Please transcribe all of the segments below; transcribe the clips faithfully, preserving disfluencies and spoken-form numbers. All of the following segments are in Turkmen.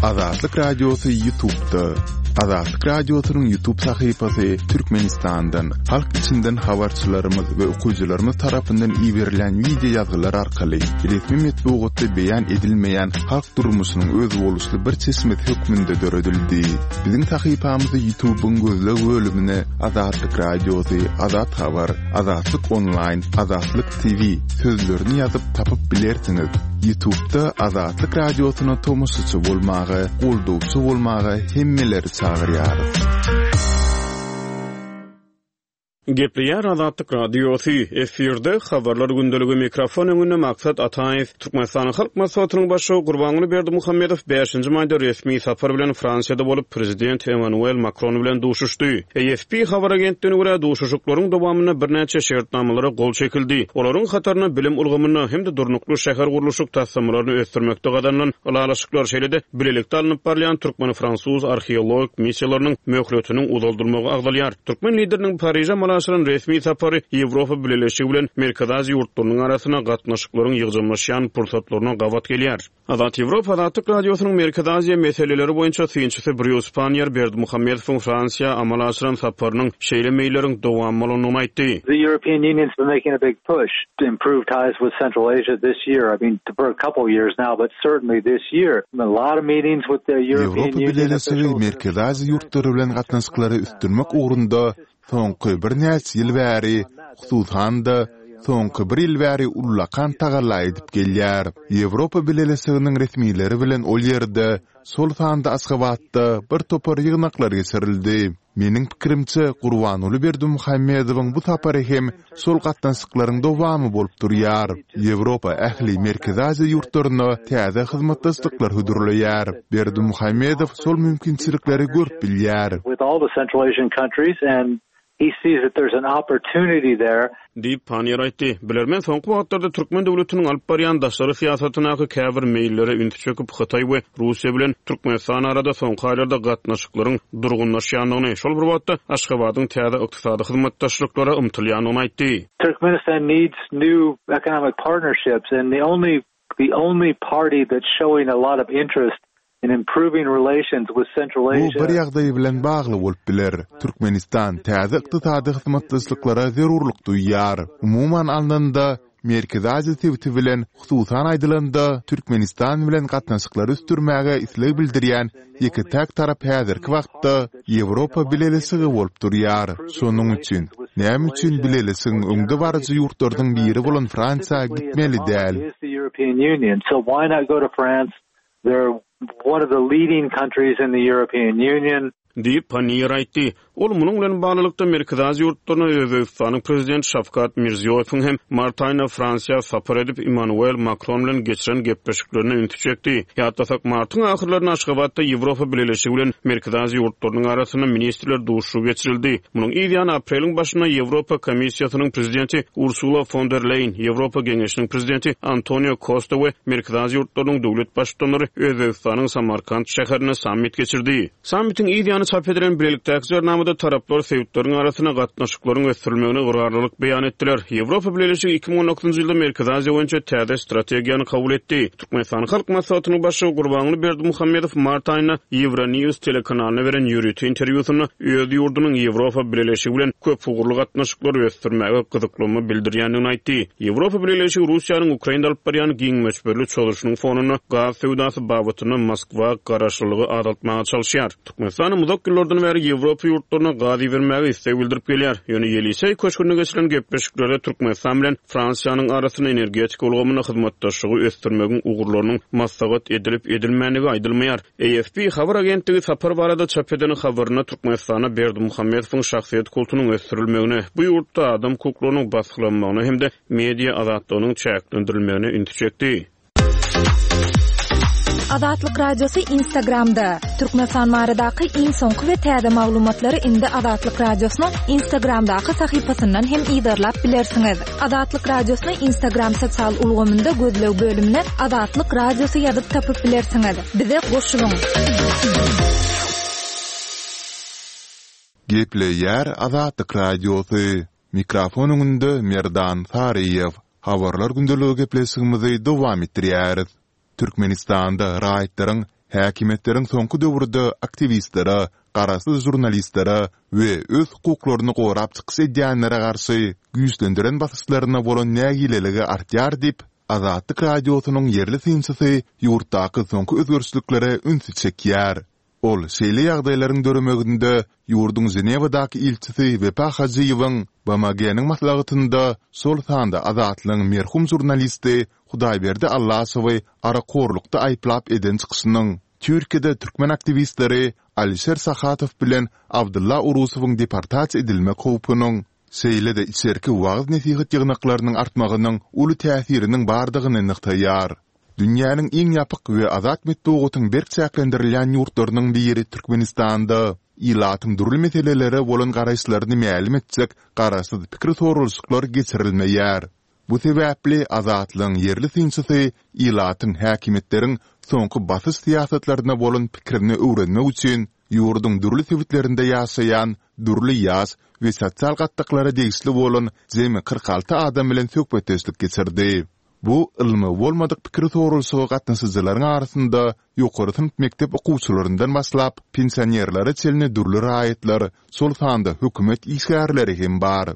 Azatlyk Radiosy YouTube'da. Azatlyk Radiosynyň YouTube sahypasy Türkmenistandan, halk içinden habarçylarymyz we okyjylarymyz tarapyndan iberilen wideo ýazgylar arkaly resmi metbugatda beýan edilmeýän halk durmuşynyň özboluşly bir çeşmesi hökmünde döredildi. Biziň sahypamyzy YouTube'yň gözleg bölümine Azatlyk Radiosy, Azat Habar, Azatlyk Online, Azatlyk T V sözlerini ýazyp tapyp bilersiňiz. YouTube'da Azatlyk Radiosyna tomaşaçy bolmaga, goldawçy bolmaga hemmeleri çagyrýarys. Gepleýär Azatlyk Radiosy, efirde habarlar gündeligi, mikrofon öňünde Maksat Ataýew. Türkmenistanyň Halk Maslahatynyň başlygy Gurbanguly Berdimuhamedow bäşinji maýda resmi sapar bilen Fransiýada bolup, prezident Emmanuel Makron bilen duşuşdy. A F P habar agentligine görä, duşuşyklaryň dowamynda birnäçe şertnamalara gol çekildi. Olaryň hataryna bilim ulgamynda hem-de durnukly şäher gurluşyk taslamalaryny ösdürmekde gazanylan ylalaşyklar, şeýle-de bilelikde alnyp barylýan türkmen-fransuz arheologik missiýalarynyň möhletiniň uzaldylmagy agzalýar. Türkmen lideriniň Pariže amala aşyran resmi sapary Ýewropa Bileleşigi bilen Merkezi Aziýa ýurtlarynyň arasynda gatnaşyklaryň ýygjamlaşýan pursatlaryna gabat gelýär. Azat Ýewropa Azatlyk Radiosynyň Merkezi Aziýa meseleleri boýunça synçysy Brýus Pannier Berdimuhamedowyň Fransiýa amala aşyran saparynyň şeýle meýilleriň dowamy bolandygyny aýtdy. The European Union's been making a big push to improve ties with Central Asia this year. I mean, for a couple of years now, but certainly this year. A lot of meetings with the European Ýewropa Union Bileleşigi officials. Merkezi Aziýa ýurtlary bilen gatnaşyklary ösdürmek ugrunda soňky birnäçe ýyl bäri, hususan-da soňky bir ýyl bäri ullakan tagalla edip gelýär. Ýewropa Bileleşiginiň resmileri bilen ol ýerde, şol sanda Aşgabatda bir topar ýygnaklar geçirildi. Meniň pikirimçe, Gurbanguly Berdimuhamedowyň bu sapary hem şol gatnaşyklaryň dowamy bolup durýar. Ýewropa ähli Merkezi Aziýa ýurtlaryna täze hyzmatdaşlyklar hödürleýär. Berdimuhamedow şol mümkinçilikleri görüp bilýär. With all the Central Asian countries, and he sees that there's an opportunity there. Diýip Pannier aýtdy. Bilermen soňky wagtlarda Türkmen döwletiniň alyp barýan daşary syýasatyndaky käbir meýillere ünsi çekip, Hytaý we Russiýa bilen Türkmenistan arada soňky aýlarda gatnaşyklaryň durgunlaşýandygyny, şol bir wagtda Aşgabadyň täze ykdysady hyzmatdaşlyklara ymtylýandygyny aýtdy. Turkmenistan needs new economic partnerships, and the only, the only party that's showing a lot of interest in improving relations with Central Bu Asia. bir ýagdaý bilen bagly bolup biler. Türkmenistan täze ykdysady hyzmatdaşlyklara zerurlyk duýýar. Umuman alnanda, Merkezi Aziýa sebiti bilen, hususan aýdylanda, Türkmenistan bilen gatnaşyklary ösdürmäge isleg bildirýän ýeke-täk tarap häzirki wagtda Ýewropa Bileleşigi bolup durýar. Şonuň üçin, näme üçin Bileleşigiň öňde baryjy ýurtlarynyň biri bolan Fransiýa gitmeli däl? European Union. So why not go to France? They're one of the leading countries in the European Union. Diýip Pannier aýtdy. Ol munuň bilen baglylykda Merkezi Aziýa ýurtlaryna Özbegistanyň prezidenti Şawkat Mirziýoýewiň hem mart aýynda Fransiýa sapar edip Emmanuel Makron bilen geçiren gepleşiklerine ünsi çekdi. Ýatlasak, martyň ahyrlarynda Aşgabatda Ýewropa Bileleşigi bilen Merkezi Aziýa ýurtlarynyň arasynda ministrler duşuşygy geçirildi. Munuň yz ýany apreliň başynda Ýewropa Komissiýasynyň prezidenti Ursula von der Leyen, Ýewropa Geňeşiniň prezidenti Antonio Costa we Merkezi Aziýa ýurtlarynyň döwlet baştutanlary Özbegistanyň Samarkand şäherinde sammit geçirdi. Sammitiň yz ýany çap edilen bilelikdäki jarnamada taraplar sebitleriň arasynda gatnaşyklaryň ösdürilmegine ygrarlylyk beýan etdiler. Ýewropa Bileleşigi iki müň on dokuzynjy ýylda Merkezi Aziýa boýunça täze strategiýany kabul etdi. Türkmenistan Halk Maslahatynyň başlygy Gurbanguly Berdimuhamedow mart aýynda Euronews telekanalyna beren ýörite interwýusynda öz ýurdunyň Ýewropa Bileleşigi bilen köp ugurly gatnaşyklary ösdürmäge gyzyklanma bildirýändigini aýtdy. Ýewropa Bileleşigi Russiýanyň Ukrainada alyp barýan giň möçberli çozuşynyň fonunda gaz söwdasy babatynda Moskwa garaşlylygy azaltmaga çalyşýar. Türkmenistan uzak ýyllardan bäri Ýewropa ýurtlaryna gaz ibermäge isleg bildirip gelýär. Ýöne Ýeliseý köşgünde geçirilen gepleşiklerde Türkmenistan bilen Fransiýanyň arasynda energetika ulgamynda hyzmatdaşlygy ösdürmegiň ugurlarynyň maslahat edilip edilmändigi aýdylmaýar. A F P habar agentligi sapar barada çap eden habarynda Türkmenistana Berdimuhamedowyň şahsyýet kultunyň ösdürilmegine, bu ýurtda adam hukuklarynyň basgylanmagyna hem-de media azatlygynyň çäklendirilmegine ünsi çekdi. Azatlyk Radiosy Instagramda. Türkmenistan baradaky iň soňky we täze maglumatlary indi Azatlyk Radiosynyň Instagramdaky sahypasyndan hem yzarlap bilersiňiz. Azatlyk Radiosyny Instagram sosial ulgamynda gözleg bölümine Azatlyk Radiosy ýazyp tapyp bilersiňiz. Bize goşulyň. Gepleýär Azatlyk Radiosy. Mikrofon öňünde Merdan Saryýew. Habarlar gündeligi gepleşigimizi dowam etdirýäris. Türkmenistanda raýatlaryň Häkimiýetleriň soňky döwürde aktiwistlere, garaşsyz žurnalistlere we öz hukuklaryny gorap çykyş edýänlere garşy güýçlendiren basyşlaryna bolan nägileligi artýar diýip, Azatlyk Radiosynyň ýerli synçysy ýurtdaky soňky özgerişliklere ünsi çekýär. Ol şeýle ýagdaýlaryň döremeginde ýurduň Ženewadaky ilçisi Wepa Hajyýewiň BMG-niň maslahatynda, şol sanda Azatlygyň merhum žurnalisti Hudaýberdi Allaşowy arakhorlukda aýyplap eden çykyşynyň, Türkiýede türkmen aktiwistleri Alişer Sahatow bilen Abdylla Urusowyň deportasiýa edilmek howpunyň, şeýle-de içerki wagyz-nesihat ýygnaklarynyň artmagynyň uly täsiriniň bardygyny nygtaýar. Dünýäniň iň ýapyk we azat metbugatyň berk çäklendirilýän ýurtlarynyň biri Türkmenistanda ilatyň dürli meselelere bolan garaýyşlaryny mälim etjek garaşsyz pikir soralyşyklar geçirilmeýär. Bu sebäpli Azatlygyň ýerli synçysy ilatyň häkimiýetleriň soňky basyş syýasatlaryna bolan pikirini öwrenmek üçin ýurduň dürli sebitlerinde ýaşaýan dürli ýaş we sosial gatlaklara degişli bolan jemi kyrk alty adam bilen söhbetdeşlik geçirdi. Bu ylmy bolmadyk pikir soralyşyga gatnaşyjylaryň arasynda ýokary synp mekdep okuwçylaryndan başlap, pensionerlere çenli dürli raýatlar, şol sanda hökümet işgärleri hem bar.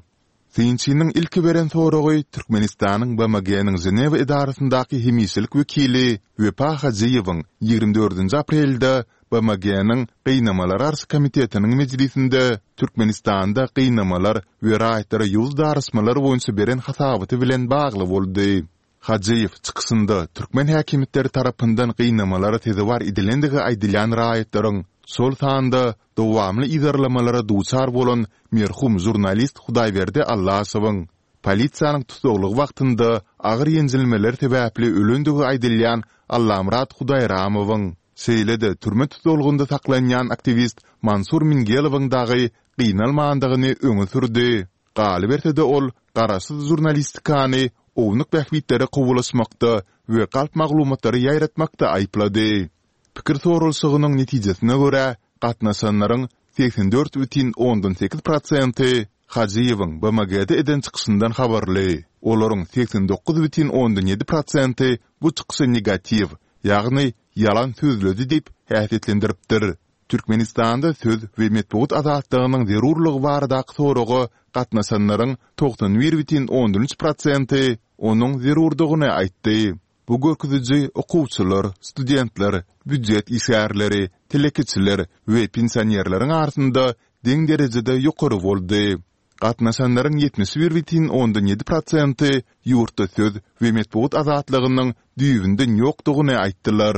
Synçynyň ilki beren soragy Türkmenistanyň BMG-niň Ženewa edarasyndaky hemişelik wekili Wepa Hajyýewiň ýigrimi dördünji aprelde BMG-niň Gynamalara garşy komitetiniň mejlisinde Türkmenistanda gynamalar we raýatlara ýowuz daraşmalar boýunça beren hasabaty bilen bagly boldy. Hajyýew çykyşynda türkmen häkimiýetleri tarapyndan gynamalara sezewar edilendigi aýdylýan raýatlaryň, şol sanda dowamly yzarlamalara duçar bolan merhum žurnalist Hudaýberdi Allaşowyň, polisiýanyň tussaglygy wagtynda agyr ýenjilmeler sebäpli ölendigi aýdylýan Allamyrat Hudaýramowyň, şeýle-de türme tussaglygynda saklanýan aktiwist Mansur Mingelowyň dagy gynalmandygyny öňe sürdi. Galyberse-de ol garaşsyz žurnalistikany ownuk bähbitlere kowalaşmakda we galp maglumatlary ýaýratmakda aýyplady. Pikir soralyşygynyň netijesine görä, gatnaşanlaryň segsen dört bütin ondan sekiz prosenti Hajyýewiň BMG-de eden çykyşyndan habarly, olaryň segsen dokuz bütin ondan ýedi prosenti bu çykyşy negatiw, ýagny ýalan sözledi diýip häsiýetlendiripdir. Türkmenistanda söz we metbugat azatlygynyň zerurlygy baradaky soraga gatnaşanlaryň togsan bir bütin ondan üç prosenti onuň zerurdygyny aýtdy. Bu görkeziji okuwçylar, studentler, býujet işgärleri, telekeçiler we pensionerleriň arasynda deň derejede ýokary boldy. Gatnaşanlaryň ýetmiş bir bütin ondan ýedi prosenti ýurtda söz we metbugat azatlygynyň düýbünden ýokdugyny aýtdylar.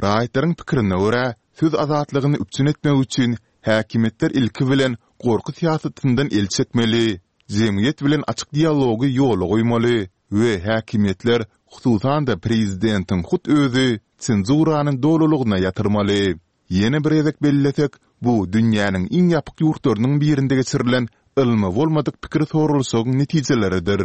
Raýatlaryň pikirine görä, söz azatlygyny üpjün etmek üçin häkimiýetler ilki bilen gorky syýasatyndan el çekmeli, jemgyýet bilen açyk dialogy ýola goýmaly we häkimiýetler, hususan-da prezidentiň hut özi senzurany dolulygyna ýatyrmaly. Ýene bir gezek bellesek, bu dünýäniň iň ýapyk ýurtlarynyň birinde geçirilen ylmy bolmadyk pikir soralyşygyň netijeleridir.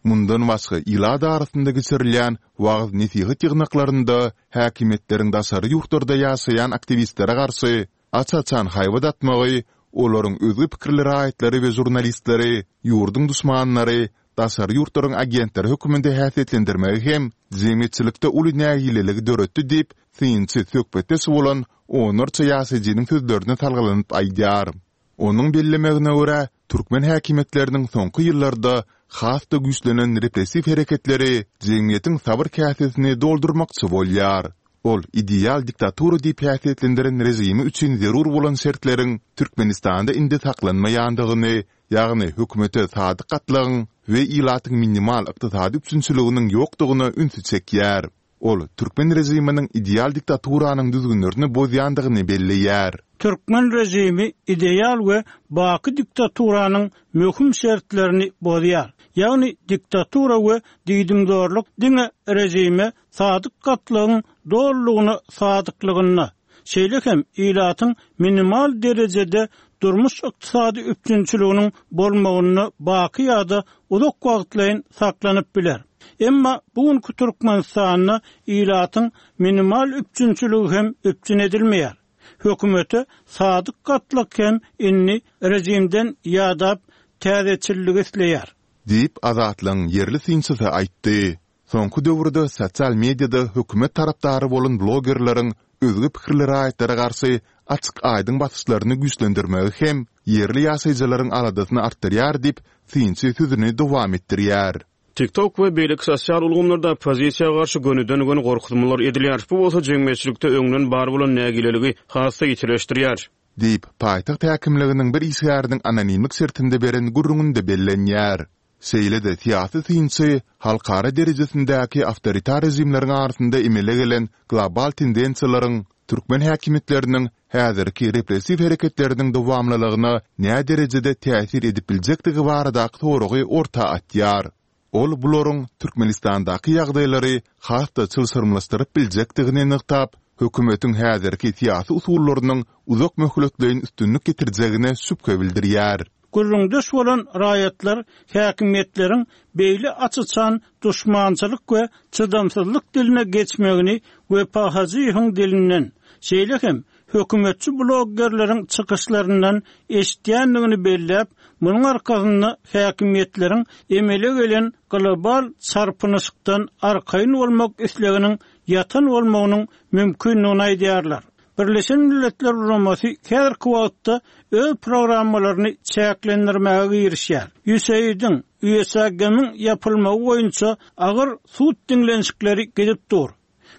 Mundan başga ilat arasynda geçirilýän wagyz-nesihat ýygnaklarynda häkimiýetleriň daşary ýurtlarda ýaşaýan aktiwistlere garşy aç-açan haýbat atmagy, olaryň özge pikirli raýatlary we žurnalistleri ýurduň duşmanlary, daşary ýurtlaryň agentleri hökmünde häsiýetlendirmegi hem jemgyýetçilikde uly nägileligi döretdi diýip, synçy söhbetdeş bolan onlarça ýaşaýjynyň sözlerine salgylanyp aýdýar. Onuň bellemegine görä, türkmen häkimiýetleriniň soňky ýyllarda has-da güýçlenen repressiw hereketleri jemgyýetiň sabyr käsesini doldurmakçy bolýar. Ol ideal diktatura diýip häsiýetlendiren režimi üçin zerur bolan şertleriň Türkmenistanda indi saklanmaýandygyny, ýagny hökümete sadyk gatlagyň we ilatyň minimal ykdysady üpjünçiliginiň ýokdugyna ünsi çekýär. Ol türkmen režiminiň ideal diktaturanyň düzgünlerini bozýandygyny belleýär. Türkmen režimi ideal we baky diktaturanyň möhüm şertlerini bozýar. Ýagny diktatura we diýdimzorluk diňe režime sadyk gatlagyň dolulygyna sadyklygynda, şeýle hem ilatyň minimal derejede durmuş-ykdysady üpjünçiliginiň bolmagynda baky ýa-da uzak wagtlaýyn saklanyp biler. Emma bu günki Türkmenistanda ilatyň minimal üpjünçiligi hem üpjün edilmeýär. Hökümete sadyk gatlak hem indi režimden ýadap, täzeçilligi isleýär. Diýip, Azatlygyň ýerli synçysy aýtdy. Soňky döwürde sosial mediada hökümet tarapdary bolan blogerleriň özge pikirli raýatlara garşy açyk-aýdyň basyşlaryny güýçlendirmegi hem ýerli ýaşaýjylaryň aladasyny artdyrýar diýip, synçy sözüni dowam etdirýär. TikTok we beýleki sosial ulgamlarda oppozisiýa garşy gönüden-göni gorkuzmalar edilýär. Bu bolsa jemgyýetçilikde öňden bar bolan nägileligi has-da ýitileşdirýär. Diýip, paýtagt häkimliginiň bir işgäriniň anonimlik şertinde beren gürrüňinde bellenýär. Şeýle-de syýasy synçy halkara derejesindäki awtoritar režimleriň arasynda emele gelen global tendensiýalaryň türkmen häkimiýetleriniň häzirki repressiw hereketleriniň dowamlylygyna näderejede täsir edip biljekdigi baradaky soragy orta atýar. Ol bularyň Türkmenistandaky ýagdaýlary has-da çylşyrymlaşdyryp biljekdigini nygtap, hökümetiň häzirki syýasy usullarynyň uzak möhletleýin üstünlik getirjegine şübhe bildirýär. Gürrüňdeş bolan raýatlar häkimiýetleriň beýle aç-açan duşmançylyk we çydamsyzlyk diline geçmegini Wepa Hajyýewiň dilinden, şeýle hem hökümetçi bloggerleriň çykyşlaryndan eşidýändigini belläp, munuň arkasynda häkimiýetleriň emele gelen global çarpynyşykdan arkaýyn bolmak isleginiň ýatan bolmagynyň mümkindigini aýdýarlar. Birleşen Milletler Guramasy häzirki wagtda öz programmalaryny çäklendirmäge girişýär. USAID-iň, USAG-nyň ýapylmagy boýunça agyr sud diňlenişikleri gidip dur.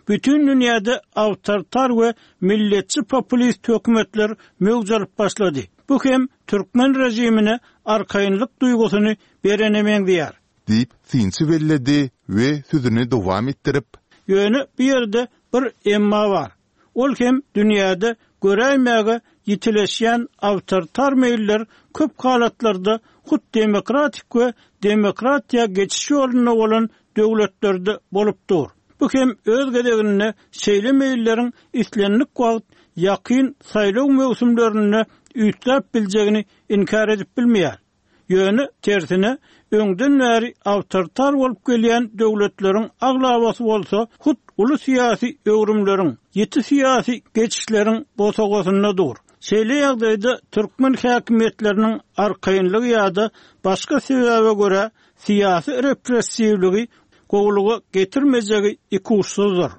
Bütin dünýäde awtoritar we milletçi populist hökümetler möwç alyp başlady. Bu hem türkmen režimine arkaýynlyk duýgusyny berene meňzeýär. Diýip, synçy belledi we sözüni dowam etdirip. Ýöne bu ýerde bir emma bar. Ol hem dünýäde göräýmäge ýitileşýän awtoritar meýiller köp halatlarda hut demokratik we demokratiýa geçiş ýolunda bolan döwletlerde bolup dur. Bu hem öz gezeginde şeýle meýilleriň islendik wagt ýakyn saýlaw möwsümlerinde üýtgäp biljegini inkär edip bilmeýär. Ýöne, tersine, öňden bäri awtoritar bolup gelýän döwletleriň aglabasy bolsa hut uly syýasy öwrümleriň, ýiti syýasy geçişleriň bosagasynda dur. Şeýle ýagdaýda türkmen häkimiýetleriniň arkaýynlygy ýa-da başga sebäbe görä syýasy repressiwligi gowulyga getirmejegi ikuçsuzdyr.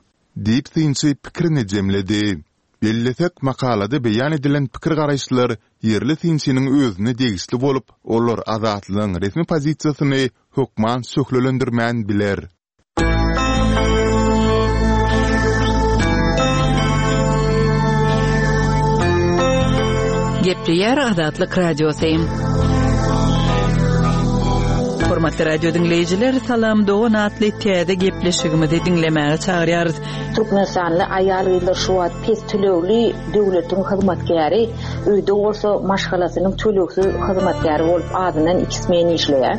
Diýip, synçy pikirini jemledi. Bellesek, makalada beýan edilen pikir-garaýyşlar ýerli synçynyň özüne degişli bolup, olar Azatlygyň resmi pozisiýasyny hökman şöhlelendirmän biler. Gepleýär Azatlyk Radiosy. Hormatly radio diňleýjiler, Salam dogan atly täze gepleşigimizi diňlemäge çagyrýarys. Türkmenistanly aýal-gyzlar şu wagt pes tölegli döwletiň hyzmatkäri, öýde bolsa maşgalasynyň tölegsiz hyzmatkäri bolup azyndan iki smen işleýär.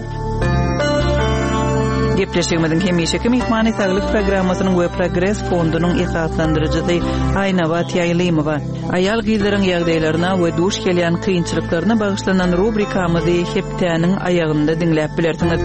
Gepleşigimiziň hemişeki myhmany Saglyk programmasynyň we Progres fondunyň esaslandyryjysy Aýnabat Ýaýlymowa. Aýal-gyzlaryň ýagdaýlaryna we duş gelýän kynçylyklaryna bagyşlanan rubrikamyzy hepdäniň aýagynda diňläp bilersiňiz.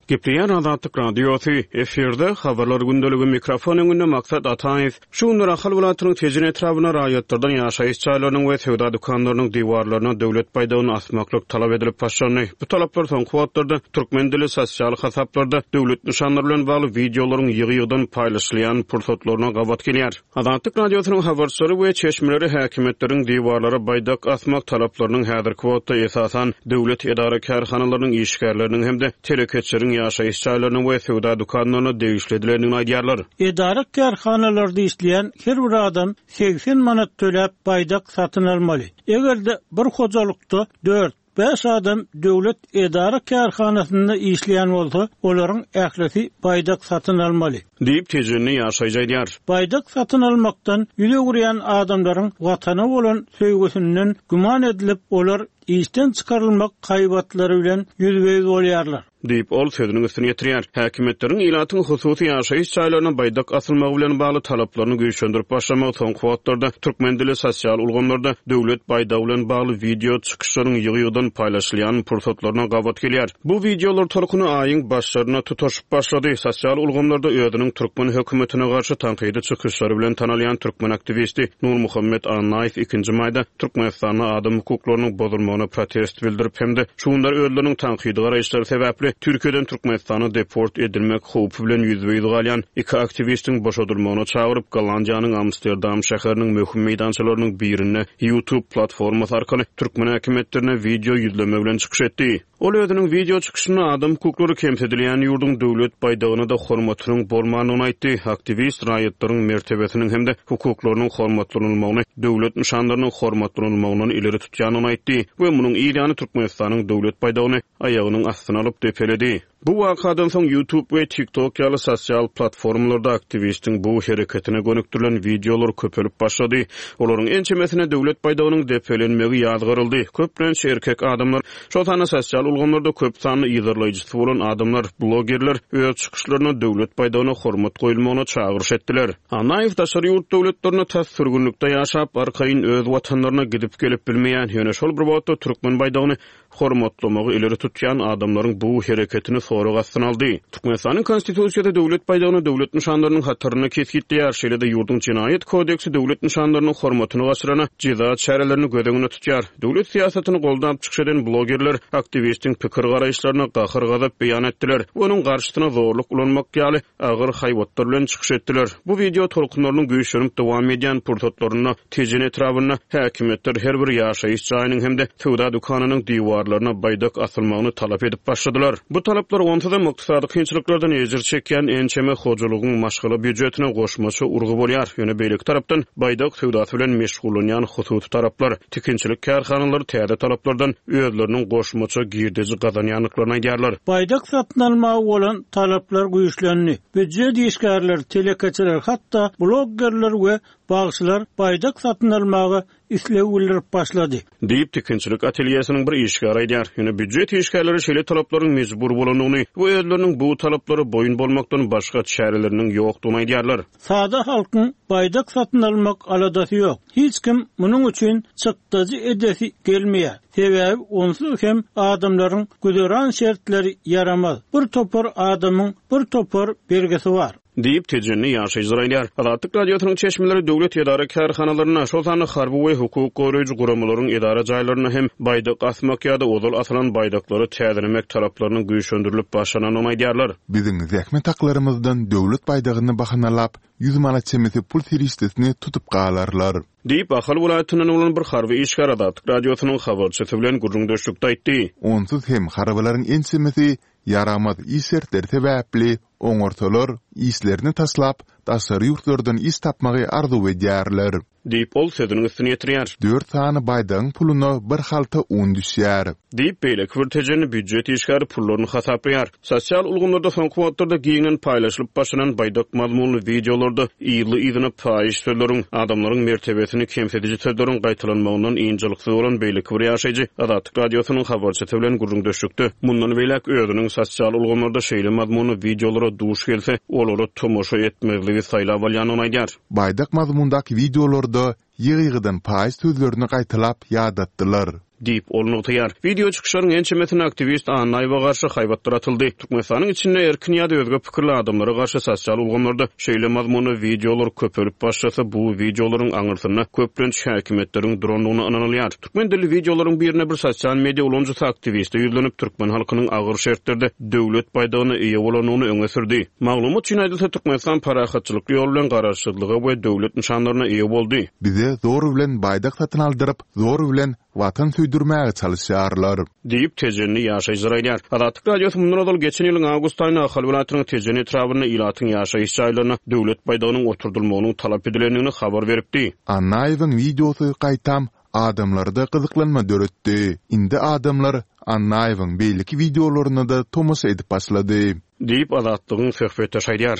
Gepleýär Azatlyk Radiosy, efirde Habarlar gündeligi, mikrofon öňünde Maksat Ataýew. Şu günler Ahal welaýatynyň Tejen etrabynda raýatlardan ýaşaýyş jaýlarynyň we söwda dükanlarynyň diwarlaryna döwlet baýdagyny asmaklyk talap edilip başlandy. Bu talaplar soňky wagtlarda türkmen dili sosial hasaplarda döwlet nyşanlary bilen bagly wideolaryň ýygy-ýygydan paýlaşylýan pursatlaryna gabat gelýär. Azatlyk Radiosynyň habarçylary we çeşmeleri häkimiýetleriň diwarlara baýdak asmak talaplarynyň häzirki wagtda esasan döwlet edara-kärhanalarynyň işgärleriniň hem-de telekeçileriň ýaşaýyş jaýlaryna we söwda dükanlaryna degişli edilendigini aýdýarlar. Edara-kärhanalarda işleýän her bir adam segsen manat töläp baýdak satyn almaly. Eger-de bir hojalykda dört, bäş adam döwlet edara-kärhanasynda işleýän bolsa, olaryň ählisi baýdak satyn almaly. Diýip, tejenli ýaşaýjy aýdýar. Baýdak satyn almakdan ýüz öwürýän adamlaryň watana bolan söýgüsinden güman edilip, olar işden çykarylmak haýbatlary bilen ýüzbe-ýüz bolýarlar. Diýip, ol sözüniň üstüni ýetirýär. Häkimiýetleriň ilatyň hususy ýaşaýyş jaýlaryna baýdak asylmagy bilen bagly talaplaryny güýçlendirip başlamagy soňky wagtlarda türkmen dili sosial ulgamlarda döwlet baýdagy bilen bagly wideo çykyşlaryň ýygy-ýygydan paýlaşylýan pursatlaryna gabat gelýär. Bu wideolar tolkuny aýyň başlaryna tutaşyp başlady. Sosial ulgamlarda özüniň özüniň türkmen hökümetine garşy tankydy çykyşlary bilen tanalýan türkmen aktiwisti Nurmuhammet Annaýew ikinji maýda Türkmenistanda adam hukuklarynyň bozulmagyna protest bildirip hem-de şu günler özleriniň tankydy garaýyşlary sebäpli Türkiýeden Türkmenistana deport edilmek howpy bilen ýüzbe-ýüz galýan iki aktiwistiň boşadylmagyna çagyryp, Gollandiýanyň Amsterdam şäheriniň möhüm meýdançalarynyň birinde YouTube platformasy arkaly türkmen häkimiýetlerine wideo ýüzleme bilen çykyş etdi. Ol özüniň wideo çykyşynda adam hukuklary kemsidilýän ýurduň döwlet baýdagyna-da hormatynyň bolmandygyny aýtdy. Aktiwist raýatlaryň mertebesiniň hem-de hukuklarynyň hormatlanylmagyny döwlet nyşanlarynyň hormatlanylmagyndan ileri tutýandygyny aýtdy we munuň yz ýany Türkmenistanyň döwlet baýdagyny aýagynyň astyna alyp depeledi. Bu wakadan soň YouTube we TikTok ýaly sosial platformalarda aktiwistiň bu hereketine gönükdirilen wideolar köpelip başlady. Olaryň ençemesine döwlet baýdagynyň depelenmegi ýazgaryldy. Köplenç erkek adamlar, şol sanda sosial ulgamlarda köp sanly yzarlaýjysy bolan adamlar, blogerler öz çykyşlarynda döwlet baýdagyna hormat goýulmagyna çagyryş etdiler. Annaýew daşary ýurt döwletlerinde tas sürgünlikde ýaşap, arkaýyn öz watanlaryna gidip-gelip bilmeýän, ýöne şol bir wagtda türkmen baýdagyny hormatlamagy ileri tutýan adamlaryň bu hereketini sorag astyna aldy. Türkmenistanyň Konstitusiýasy döwlet baýdagyny döwlet nyşanlarynyň hatarynda kesgitleýär, şeýle-de ýurduň Jenaýat kodeksi döwlet nyşanlarynyň hormatyny gaçyrana jeza çärelerini göz öňünde tutýar. Döwlet syýasatyny goldap çykyş eden blogerler aktiwistiň pikir-garaýyşlaryna gahar-gazap beýan etdiler we onuň garşysyna zorluk ulanmak ýaly agyr haýbatlar bilen çykyş etdiler. Bu wideo tolkunlarynyň güýçlenip dowam edýän pursatlarynda Tejen etrabynda häkimiýetler her bir ýaşaýyş jaýynyň hem-de söwda dükanynyň diwarlaryna baýdak asylmagyny talap edip başladylar. Bu talaplar onsuzam ykdysady kynçylyklardan ejir çekýän ençeme hojalygyň maşgala býujetine goşmaça urgy bolýar. Ýöne beýleki tarapdan baýdak söwdasy bilen meşgullanýan hususy taraplar, tikinçilik kärhanalary täze talaplardan özleriniň goşmaça girdeji gazanýandyklaryny aýdýarlar. Baýdak satyn almaga bolan talaplar güýçlendi. Býujet işgärleri, telekeçiler, hatda bloggerler we bagşylar baýdak satyn almaga isleg bildirip başlady. Diýip, tikinçilik atelýesiniň bir işgäri aýdýar. Ýöne býujet işgärleri şeýle talaplaryň mejbur bolandygyny we özleriniň bu talaplara boýun bolmakdan başga çäreleriniň ýokdugyny aýdýarlar. Sada halkyň baýdak satyn almak aladasy ýok. Hiç kim munuň üçin çykdajy edesi gelmeýär. Sebäbi onsuz hem adamlaryň güzeran şertleri ýaramaz. Bir topar adamyň bir topar bergisi bar. Diýip, Tejenli ýaşaýjylar aýdýar. Azatlyk Radiosynyň çeşmeleri döwlet edara-kärhanalarynda, şol sanda harby we hukuk goraýjy guramalaryň edara jaýlarynda hem baýdak asmak ýa-da ozal asylan baýdaklary täzelemek talaplarynyň güýçlendirilip başlanandygyny aýdýarlar. Biziň zähmet haklarymyzdan döwlet baýdagyny bahanalap, ýüz manat çemesi pul serişdesini tutup galarlar. Diýip, Ahal welaýatyndan bolan bir harby işgär Azatlyk Radiosynyň habarçysy bilen gürrüňdeşlikde aýtdy. Onsuz hem harbylaryň ençemesi ýaramaz iş şertleri sebäpli oňarsalar, işlerini taşlap, daşary ýurtlardan iş tapmagy arzuw edýärler. Diýip, ol sözüniň üstüni ýetirýär. Dört sany baýdagyň puluna bir halta un düşýär. Diýip, beýleki bir tejenli býujet işgäri pullaryny hasaplaýar. Sosial ulgamlarda soňky wagtlarda giňden paýlaşylyp başlanan baýdak mazmunly wideolarda yzly-yzyna paýyş sözleriň, adamlaryň mertebesini kemsidiji sözleriň gaýtalanmagyndan ynjalyksyz bolan beýleki bir ýaşaýjy Azatlyk Radiosynyň habarçysy bilen gürrüňdeşlikde mundan beýläk özüniň sosial ulgamlarda şeýle mazmunly wideolara duş gelse, olara tomaşa etmezligi saýlap alýandygyny aýdýar. Baýdak mazmundaky wideolarda ýygy-ýygydan paýyş sözlerini gaýtalap ýadatdylar. Diýip, ol nygtaýar. Wideo çykyşlaryň ençemesinde aktiwist Annaýewe garşy haýbatlar atyldy. Türkmenistanyň içinde erkin ýa-da özge pikirli adamlara garşy sosial ulgamlarda şeýle mazmunly wideolar köpelip başlasa, bu wideolaryň aňyrsynda köplenç häkimiýetleriň durandygyna ynanylýar. Türkmen dilli wideolaryň birinde bir sosial media ulanyjysy aktiwiste ýüzlenip, türkmen halkynyň agyr şertlerde döwlet baýdagyna eýe bolandygyny öňe sürdi. Maglumat üçin aýdylsa, Türkmenistan parahatçylykly ýol bilen garaşsyzlyga we döwlet nyşanlaryna eýe boldy. Bize zor bilen baýdak satyn aldyryp, zor bilen watan söýdürmäge çalyşýarlar. Diýip, Tejenli ýaşaýjylar aýdýar. Azatlyk Radiosy mundan ozal geçen ýylyň awgust aýynda Ahal welaýatynyň Tejen etrabynda ilatyň ýaşaýyş jaýlaryna döwlet baýdagynyň oturdylmagynyň talap edilendigini habar beripdi. Annaýewiň wideosy gaýtam adamlarda gyzyklanma döretdi. Indi adamlar Annaýewiň beýleki wideolaryna-da tomaşa edip başlady. Diýip, Azatlygyň söhbetdeşi aýdýar.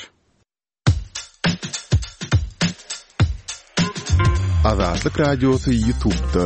Azatlyk Radiosy YouTube'da.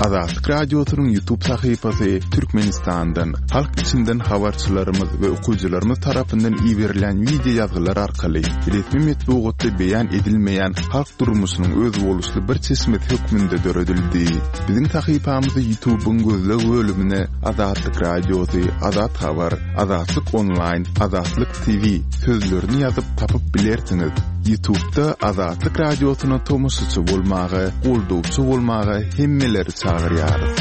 Azatlyk Radiosynyň YouTube sahypasy Türkmenistandan, halk içinden habarçylarymyz we okyjylarymyz tarapyndan iberilýän wideo ýazgylar arkaly resmi metbugatda beýan edilmeýän halk durmuşynyň özboluşly bir çeşmesi hökmünde döredildi. Biziň sahypamyzy YouTube'yň gözleg bölümine Azatlyk Radiosy, Azat Habar, Azatlyk Online, Azatlyk T V sözlerini ýazyp tapyp bilersiňiz. YouTube'da Azatlyk Radiosyna tomaşaçy bolmaga, goldawçy bolmaga hemmeleri çagyrýarys.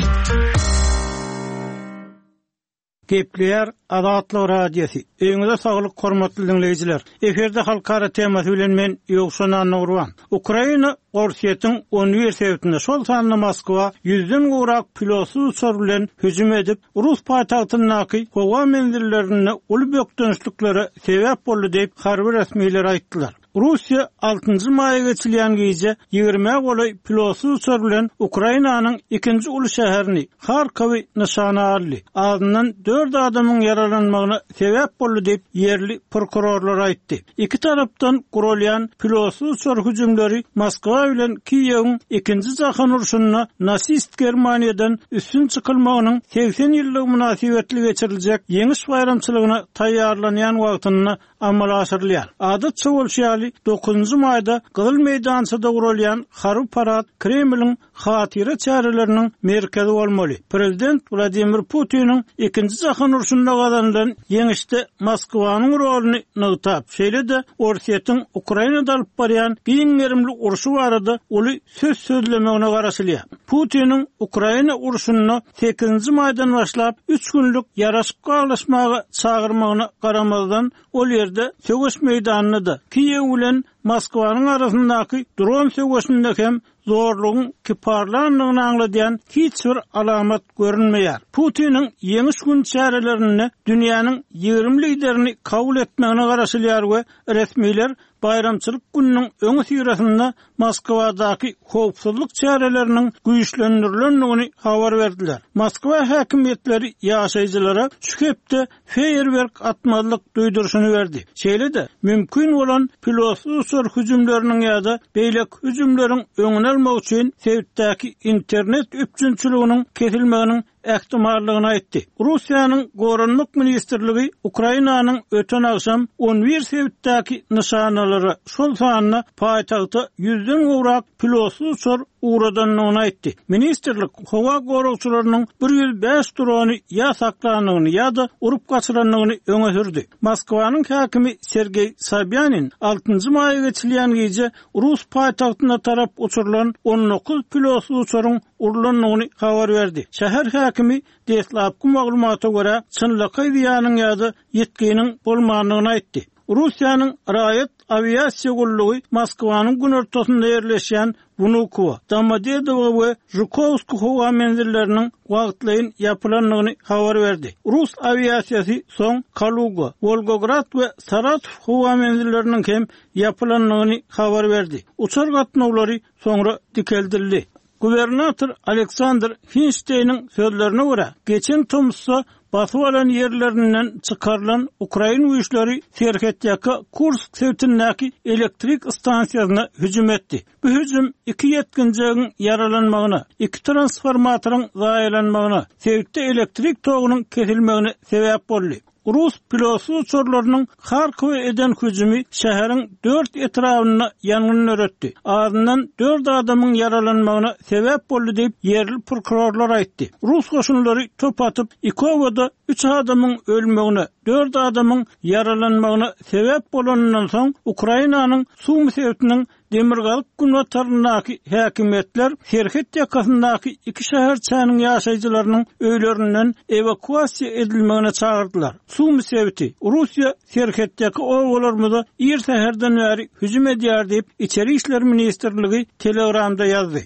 Gepleýär Azatlyk Radiosy. Öýüňize saglyk hormatly dinleýjiler. Efirde halkara temasy bilen men Ýowşan Annagurban. Ukraina Orsýetiň on bir sebitinde, şol sanda Moskwa ýüzden gowrak pilotsyz uçar bilen hüjüm edip, Rus paýtagtyndaky howa menzillerinde uly bökdençliklere sebäp boldy diýip harby resmiler aýtdylar. Russiýa altynjy maýa geçilýän gije ýigrimi golaý pilotsyz uçar bilen Ukrainanyň ikinji uly şäherini Harkowy nyşana aldy. Azyndan dört adamyň ýaralanmagyna sebäp boldy diýip ýerli prokurorlar aýtdy. Iki tarapdan gurulýan pilotsyz uçar hüjümleri Moskwa bilen Kiýewiň ikinji jahan urşunda nasist Germaniýadan üstün çykylmagynyň segsen ýyllygy mynasybetli geçiriljek ýeňiş baýramçylygyna taýýarlanýan wagtynda amala aşyrylýar. Adatça bolşy ýaly dokuzynjy maýda Gyzyl meýdançada gurulýan harby parad Kremliň hatyra çäreleriniň merkezi bolmaly. Prezident Wladimir Putiniň ikinji jahan urşunda gazanylan ýeňişde Moskwanyň roluny nygtap, şeýle-de Orsýetiň Ukrainada alyp barýan giň gerimli urşy barada uly söz sözlemegine garaşylýar. Putiniň Ukraina urşunda sekizinji maýdan başlap üç günlük ýaraşyk baglaşmaga çagyrmagyna garamazdan ol ýerde söweş meýdanynda da Kiýew bilen Moskwanyň arasyndaky dron söweşinde hem zorlugyň kiparlandygyny aňladýan hiç bir alamat görünmeýär. Putiniň ýeňiş gün çärelerinde dünýäniň ýigrimi liderini kabul etmegine garaşylýar we resmiler baýramçylyk gününiň öňi syrasynda Moskwadaky howpsuzlyk çäreleriniň güýçlendirilendigini habar berdiler. Moskwa häkimiýetleri ýaşaýjylara şu hepde feýerwerk atmazlyk duýduryşyny berdi. Şeýle-de mümkin bolan pilotsyz uçar hüjümleriniň ýa-da beýleki hüjümleriň öňüni almak üçin sebitdäki internet üpjünçiliginiň kesilmeginiň ähtimallygyny aýtdy. Russiýanyň Goranmak ministrligi Ukrainanyň öten agşam on bir sebitdäki nyşanalara, şol sanda paýtagta ýüzden gowrak pilotsyz uçar ugradandygyny aýtdy. Ministrlik howa goragçylarynyň bir ýüz bäş drony ýa saklandygyny ýa-da urup gaçyrandygyny öňe sürdi. Moskwanyň häkimi Sergeý Sobýanin altynjy maýa geçilýän gije Rus paýtagtyna tarap uçurylan on dokuz pilotsyz uçaryň urulandygyny habar berdi. Şäher häkimi deslapky maglumata görä çynlakaý zyýanyň ýa-da ýetginiň bolmandygyny aýtdy. Russiýanyň raýat awiasiýa gullugy Moskwanyň günortasynda ýerleşýän Wnukowo, Domodedowo we Žukovsk howa menzilleriniň wagtlaýyn ýapylandygyny habar berdi. Rus awiasiýasy soň Kaluga, Wolgograd we Saratow howa menzilleriniň hem ýapylandygyny habar berdi. Uçar gatnawlary soňra dikeldildi. Gubernator Aleksandr Hinşteýniň sözlerine görä, geçen tomsda basyp alan ýerlerinden çykarylan Ukrain güýçleri serhetdäki Kursk sebitindäki elektrik stansiýasyna hüjüm etdi. Bu hüjüm iki ýetginjegiň ýaralanmagyna, iki transformatoryň zaýalanmagyna, sebitde elektrik togunyň kesilmegine sebäp boldy. Rus pilotsyz uçarlarynyň Harkowa eden hüjümi şäheriň dört etrabynda ýangyn döretdi. Azyndan dört adamyň ýaralanmagyna sebäp boldy diýip ýerli prokurorlar aýtdy. Rus goşunlary top atyp Ikowada üç adamyň ölmegine, dört adamyň ýaralanmagyna sebäp bolanyndan soň Ukrainanyň Sumi sebitiniň Demirgazyk günbataryndaky häkimiýetler serhet ýakasyndaky iki şäherçäniň ýaşaýjylarynyň öýlerinden ewakuasiýa edilmegine çagyrdylar. Sumi sebiti Russiýa serhetdäki obalarymyza ir säherden bäri hüjüm edýär diýip Içeri işler ministrligi Telegramda ýazdy.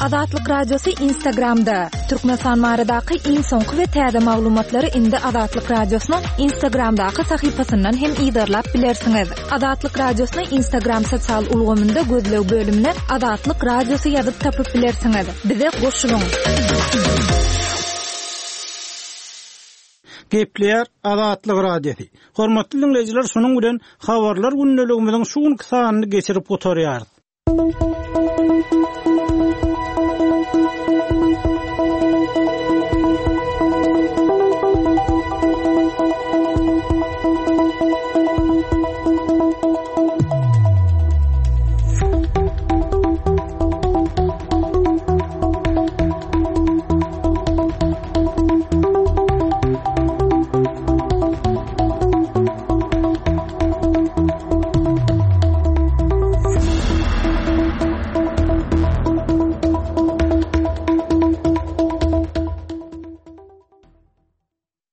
Azatlyk Radiosy Instagramda. Türkmenistan baradaky iň soňky we täze maglumatlary indi Azatlyk Radiosynyň Instagramdaky sahypasyndan hem yzarlap bilersiňiz. Azatlyk Radiosyny Instagram sosial ulgamynda gözleg bölümine Azatlyk Radiosy ýazyp tapyp bilersiňiz. Bize goşulyň. Gepleýär Azatlyk Radiosy. Hormatly dinleýjiler, şunuň bilen habarlar gündeligimiziň şu günki sanyny geçirip gutarýarys.